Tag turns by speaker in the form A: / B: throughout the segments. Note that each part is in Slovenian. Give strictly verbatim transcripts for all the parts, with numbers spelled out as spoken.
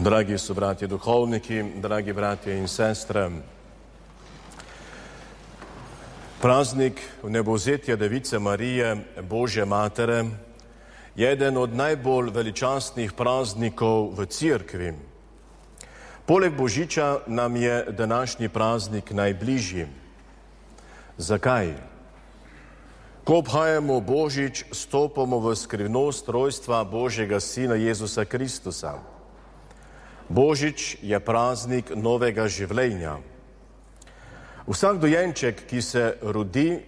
A: Dragi sobratje duhovniki, dragi bratje in sestre, praznik vnebovzetja Device Marije, Božje Matere, je eden od najbolj veličastnih praznikov v Cerkvi. Poleg Božiča nam je današnji praznik najbližji. Zakaj? Ko obhajamo Božič, stopamo v skrivnost rojstva Božjega Sina Jezusa Kristusa. Božič je praznik novega življenja. Vsak dojenček, ki se rodi,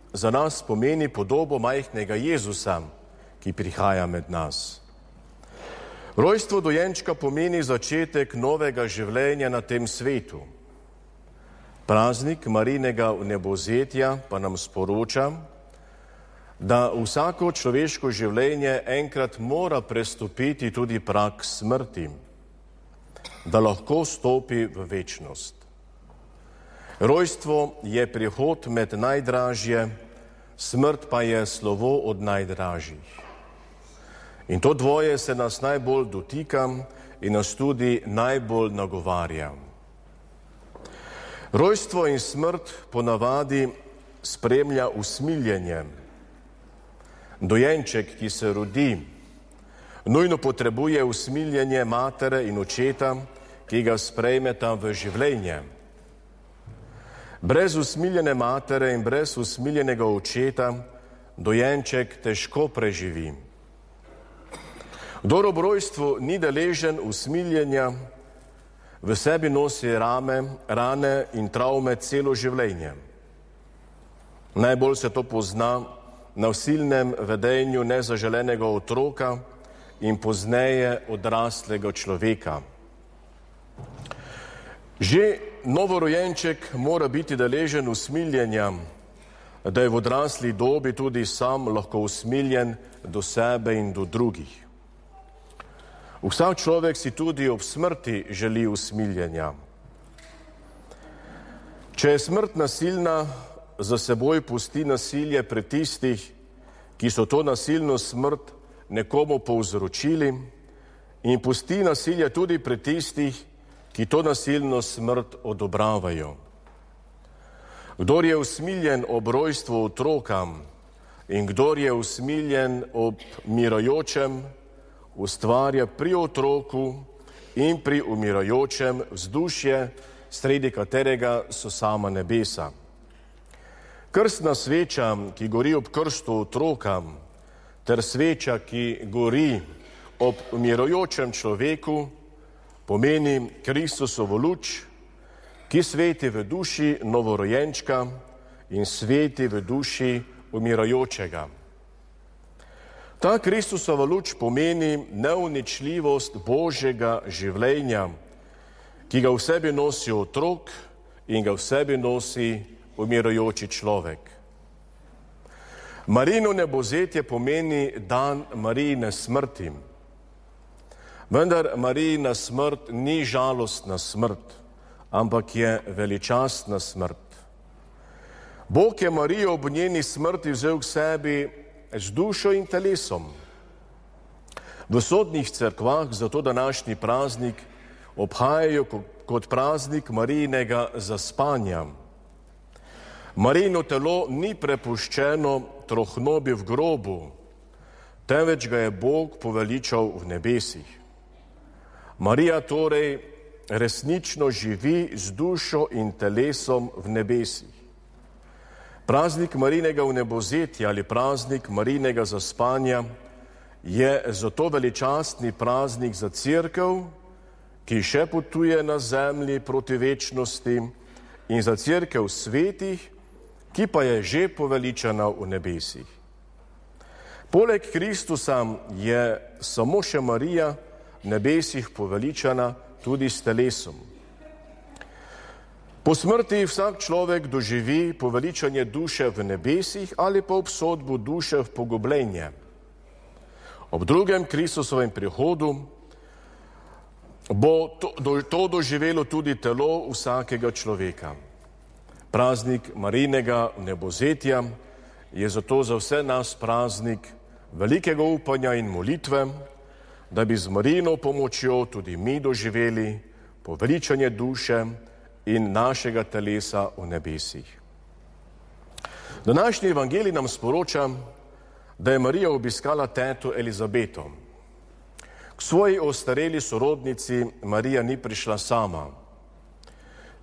A: za nas pomeni podobo majhnega Jezusa, ki prihaja med nas. Rojstvo dojenčka pomeni začetek novega življenja na tem svetu. Praznik Marijinega vnebovzetja pa nam sporoča, da vsako človeško življenje enkrat mora prestopiti tudi prag smrti, da lahko stopi v večnost. Rojstvo je prihod med najdražje, smrt pa je slovo od najdražjih. In to dvoje se nas najbolj dotika in nas tudi najbolj nagovarja. Rojstvo in smrt ponavadi spremlja usmiljenje. Dojenček, ki se rodi, nujno potrebuje usmiljenje matere in očeta, ki ga sprejmeta v življenje. Brez usmiljene matere in brez usmiljenega očeta dojenček težko preživi. Kdor ob rojstvu ni deležen usmiljenja, v sebi nosi rame, rane in travme celo življenje. Najbolj se to pozna na nasilnem vedenju nezaželenega otroka in pozneje odraslega človeka. Že novorojenček mora biti deležen usmiljenja, da je v odrasli dobi tudi sam lahko usmiljen do sebe in do drugih. Vsak človek si tudi ob smrti želi usmiljenja. Če je smrt nasilna, za seboj pusti nasilje pri tistih, ki so to nasilno smrt nekomu povzročili, in pusti nasilje tudi pri tistih, ki to nasilno smrt odobravajo. Kdor je usmiljen ob rojstvu otroka in kdor je usmiljen ob umirajočem, ustvarja pri otroku in pri umirajočem vzdušje, sredi katerega so sama nebesa. Krstna sveča, ki gori ob krstu otroka, ter sveča, ki gori ob umirajočem človeku, pomeni Kristusovo luč, ki sveti v duši novorojenčka in sveti v duši umirajočega. Ta Kristusova luč pomeni neuničljivost Božjega življenja, ki ga v sebi nosi otrok in ga v sebi nosi umirajoči človek. Marijino vnebovzetje pomeni dan Marijine smrti. Vendar Marijina smrt ni žalostna smrt, ampak je veličastna smrt. Bog je Marijo ob njeni smrti vzel k sebi z dušo in telesom. V sodnih cerkvah zato današnji praznik obhajajo kot praznik Marijinega zaspanja. Marijino telo ni prepuščeno trohnobi v grobu, temveč ga je Bog poveličal v nebesih. Marija torej resnično živi z dušo in telesom v nebesih. Praznik Marijinega vnebovzetja ali praznik Marijinega zaspanja je zato veličastni praznik za Cerkev, ki še potuje na zemlji proti večnosti, in za Cerkev svetih, ki pa je že poveličana v nebesih. Poleg Kristusa je samo še Marija v nebesih poveličana tudi s telesom. Po smrti vsak človek doživi poveličanje duše v nebesih ali pa obsodbo duše v pogubljenje. Ob drugem Kristusovem prihodu bo to, do, to doživelo tudi telo vsakega človeka. Praznik Marijinega vnebovzetja je zato za vse nas praznik velikega upanja in molitve, da bi z Marijino pomočjo tudi mi doživeli poveličanje duše in našega telesa v nebesih. Današnji evangelij nam sporoča, da je Marija obiskala teto Elizabeto. K svoji ostareli sorodnici Marija ni prišla sama.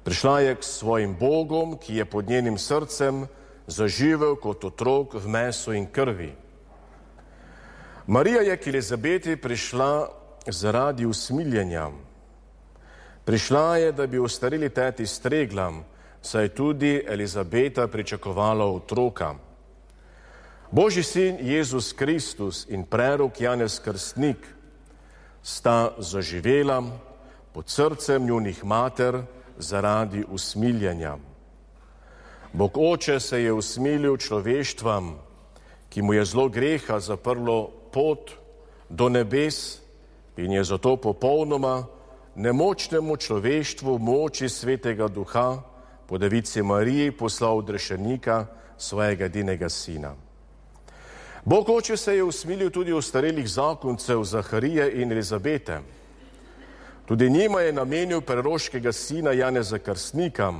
A: Prišla je k svojim Bogom, ki je pod njenim srcem zaživel kot otrok v mesu in krvi. Marija je k Elizabeti prišla zaradi usmiljenja. Prišla je, da bi ostareli teti stregla, saj tudi Elizabeta pričakovala otroka. Božji sin Jezus Kristus in prerok Janez Krstnik sta zaživela pod srcem njunih mater zaradi usmiljenja. Bog Oče se je usmilil človeštvam, ki mu je zlo greha zaprlo pot do nebes in je zato popolnoma nemočnemu človeštvu moči Svetega Duha po Devici Mariji poslal odrešenika, svojega edinega sina. Bog Oče se je usmilil tudi ostarelih zakoncev Zaharije in Elizabete. Tudi njima je namenil preroškega sina Janeza Krstnika,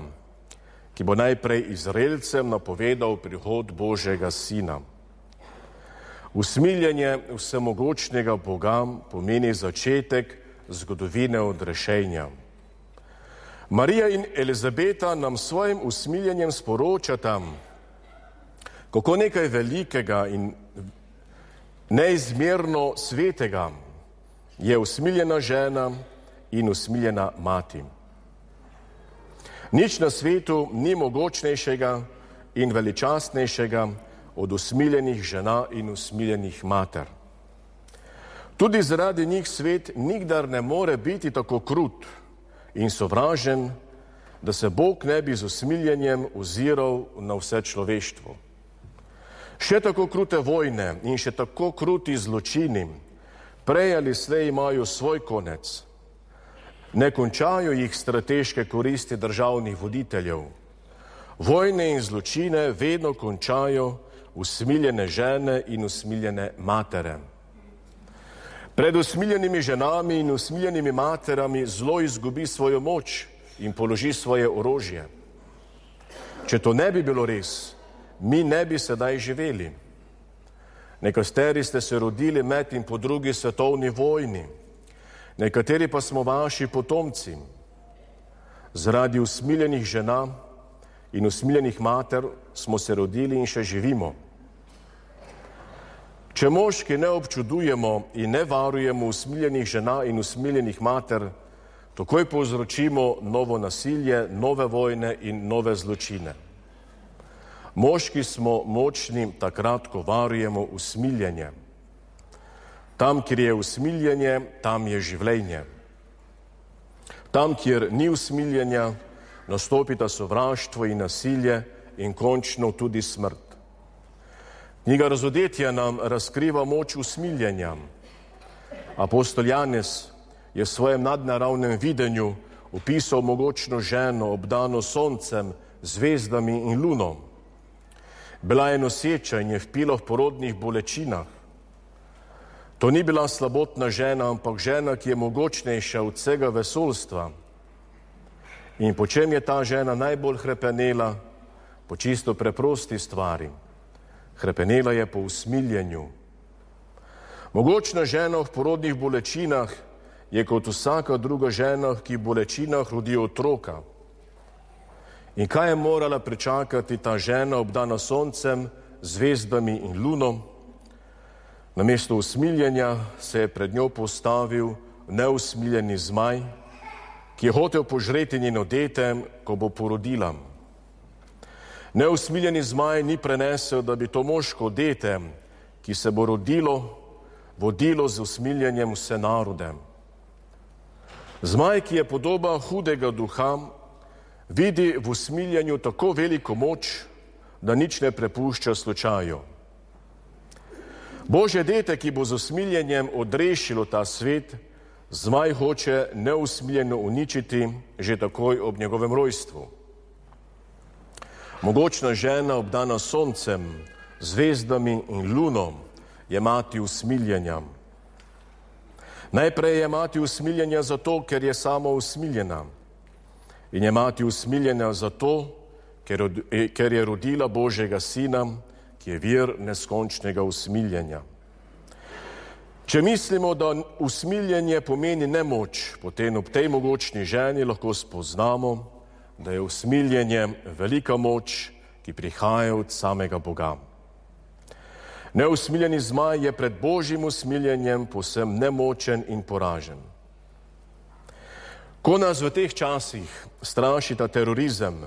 A: ki bo najprej Izraelcem napovedal prihod Božjega sina. Usmiljenje vsemogočnega Boga pomeni začetek zgodovine odrešenja. Marija in Elizabeta nam svojim usmiljenjem sporočata, kako nekaj velikega in neizmerno svetega je usmiljena žena in usmiljena mati. Nič na svetu ni mogočnejšega in veličastnejšega od usmiljenih žena in usmiljenih mater. Tudi zaradi njih svet nikdar ne more biti tako krut in sovražen, da se Bog ne bi z usmiljenjem oziral na vse človeštvo. Še tako krute vojne in še tako kruti zločini prej ali slej imajo svoj konec. Ne končajo jih strateške koristi državnih voditeljev. Vojne in zločine vedno končajo usmiljene žene in usmiljene matere. Pred usmiljenimi ženami in usmiljenimi materami zlo izgubi svojo moč in položi svoje orožje. Če to ne bi bilo res, mi ne bi sedaj živeli. Nekateri ste se rodili med in po drugi svetovni vojni, nekateri pa smo vaši potomci. Zaradi usmiljenih žena in usmiljenih mater smo se rodili in še živimo. Če moški ne občudujemo in ne varujemo usmiljenih žena in usmiljenih mater, takoj povzročimo novo nasilje, nove vojne in nove zločine. Moški smo močni takrat, ko varujemo usmiljenje. Tam, kjer je usmiljenje, tam je življenje. Tam, kjer ni usmiljenja, nastopita sovraštvo in nasilje in končno tudi smrt. Knjiga Razodetja nam razkriva moč usmiljenja. Apostol Janez je v svojem nadnaravnem videnju opisal mogočno ženo, obdano soncem, zvezdami in luno. Bila je noseča in je vpila v porodnih bolečinah. To ni bila slabotna žena, ampak žena, ki je mogočnejša od vsega vesoljstva. In po čem je ta žena najbolj hrepenela? Po čisto preprosti stvari. Hrepenela je po usmiljenju. Mogočna žena v porodnih bolečinah je kot vsaka druga žena, ki v bolečinah rodi otroka. In kaj je morala pričakati ta žena, obdana soncem, zvezdami in lunom? Namesto usmiljenja se je pred njo postavil neusmiljeni zmaj, ki je hotel požreti njeno dete, ko bo porodila. Neusmiljeni zmaj ni prenesel, da bi to moško dete, ki se bo rodilo, vodilo z usmiljenjem vse narode. Zmaj, ki je podoba hudega duha, vidi v usmiljenju tako veliko moč, da nič ne prepušča slučaju. Božje dete, ki bo z usmiljenjem odrešilo ta svet, zmaj hoče neusmiljeno uničiti že takoj ob njegovem rojstvu. Mogočna žena, obdana soncem, zvezdami in lunom, je mati usmiljenja. Najprej je mati usmiljenja zato, ker je sama usmiljena. In je mati usmiljena zato, ker, ker je rodila Božjega Sina, ki je vir neskončnega usmiljenja. Če mislimo, da usmiljenje pomeni nemoč, potem ob tej mogočni ženi lahko spoznamo, da je usmiljenje velika moč, ki prihaja od samega Boga. Neusmiljeni zmaj je pred Božjim usmiljenjem povsem nemočen in poražen. Ko nas v teh časih strašita terorizem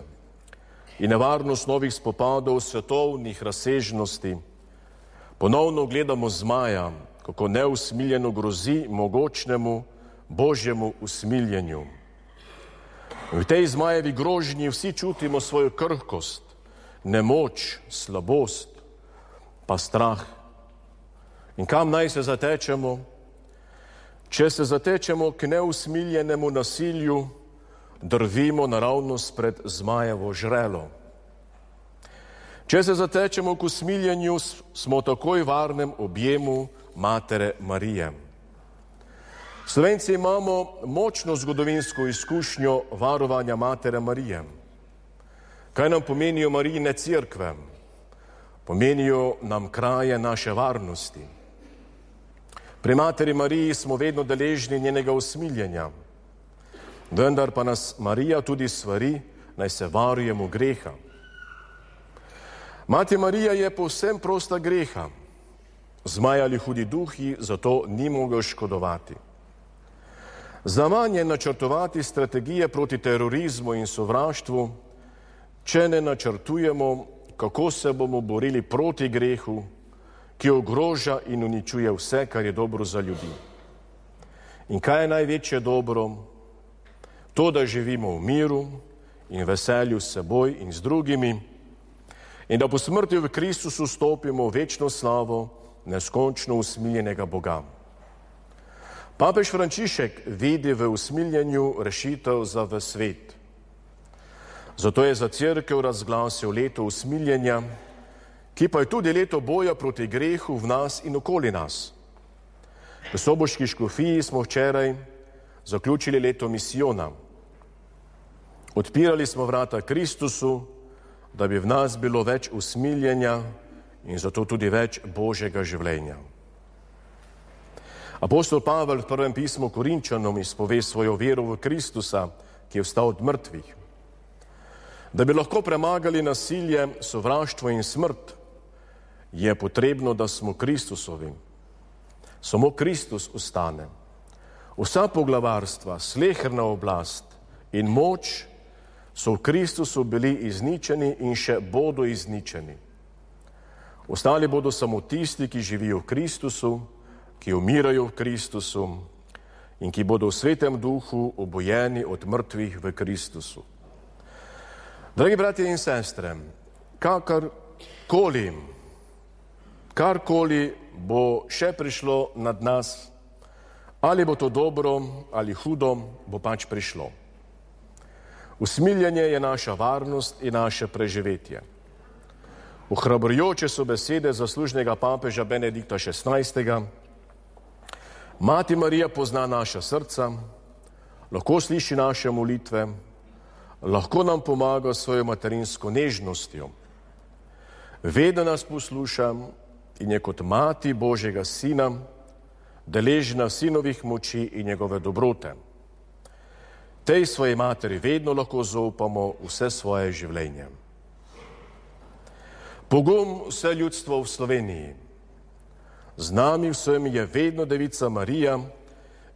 A: in nevarnost novih spopadov svetovnih razsežnosti, ponovno gledamo zmaja, kako neusmiljeno grozi mogočnemu Božjemu usmiljenju. V tej zmajevi grožnji vsi čutimo svojo krhkost, nemoč, slabost, pa strah. In kam naj se zatečemo? Če se zatečemo k neusmiljenemu nasilju, drvimo naravnost pred zmajevo žrelo. Če se zatečemo k usmiljenju, smo takoj v varnem objemu Matere Marije. Slovenci imamo močno zgodovinsko izkušnjo varovanja Matere Marije. Kaj nam pomenijo Marijine cerkve? Pomenijo nam kraje naše varnosti. Pri Materi Mariji smo vedno deležni njenega usmiljenja, vendar pa nas Marija tudi svari, naj se varujemo greha. Mati Marija je povsem prosta greha. Zmaj ali hudi duhi zato ni mogel škodovati. Zaman je načrtovati strategije proti terorizmu in sovraštvu, če ne načrtujemo, kako se bomo borili proti grehu, ki ogroža in uničuje vse, kar je dobro za ljudi. In kaj je največje dobro? To, da živimo v miru in veselju s seboj in z drugimi in da po smrti v Kristusu stopimo v večno slavo neskončno usmiljenega Boga. Papež Frančišek vidi v usmiljenju rešitev za ves svet. Zato je za cerkev razglasil leto usmiljenja, ki pa je tudi leto boja proti grehu v nas in okoli nas. V soboški škofiji smo včeraj zaključili leto misijona. Odpirali smo vrata Kristusu, da bi v nas bilo več usmiljenja in zato tudi več Božjega življenja. Apostol Pavel v prvem pismu Korinčanom izpove svojo vero v Kristusa, ki je vstal od mrtvih. Da bi lahko premagali nasilje, sovraštvo in smrt, je potrebno, da smo Kristusovi. Samo Kristus ostane. Vsa poglavarstva, sleherna oblast in moč so v Kristusu bili izničeni in še bodo izničeni. Ostali bodo samo tisti, ki živijo v Kristusu, ki umirajo v Kristusu in ki bodo v svetem duhu obojeni od mrtvih v Kristusu. Dragi bratje in sestre, kakorkoli, karkoli bo še prišlo nad nas, ali bo to dobro ali hudo, bo pač prišlo. Usmiljenje je naša varnost in naše preživetje. Ohrabrujoče so besede zaslužnega papeža Benedikta šestnajstega. Mati Marija pozna naša srca, lahko sliši naše molitve, lahko nam pomaga s svojo materinsko nežnostjo. Vedno nas posluša in je kot mati Božjega Sina deležna sinovih moči in njegove dobrote. Tej svoji materi vedno lahko zaupamo vse svoje življenje. Pogum vse ljudstvo v Sloveniji. Z nami vsem je vedno Devica Marija,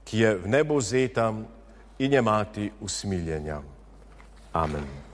A: ki je v nebo vzeta in je mati usmiljenja. Amen.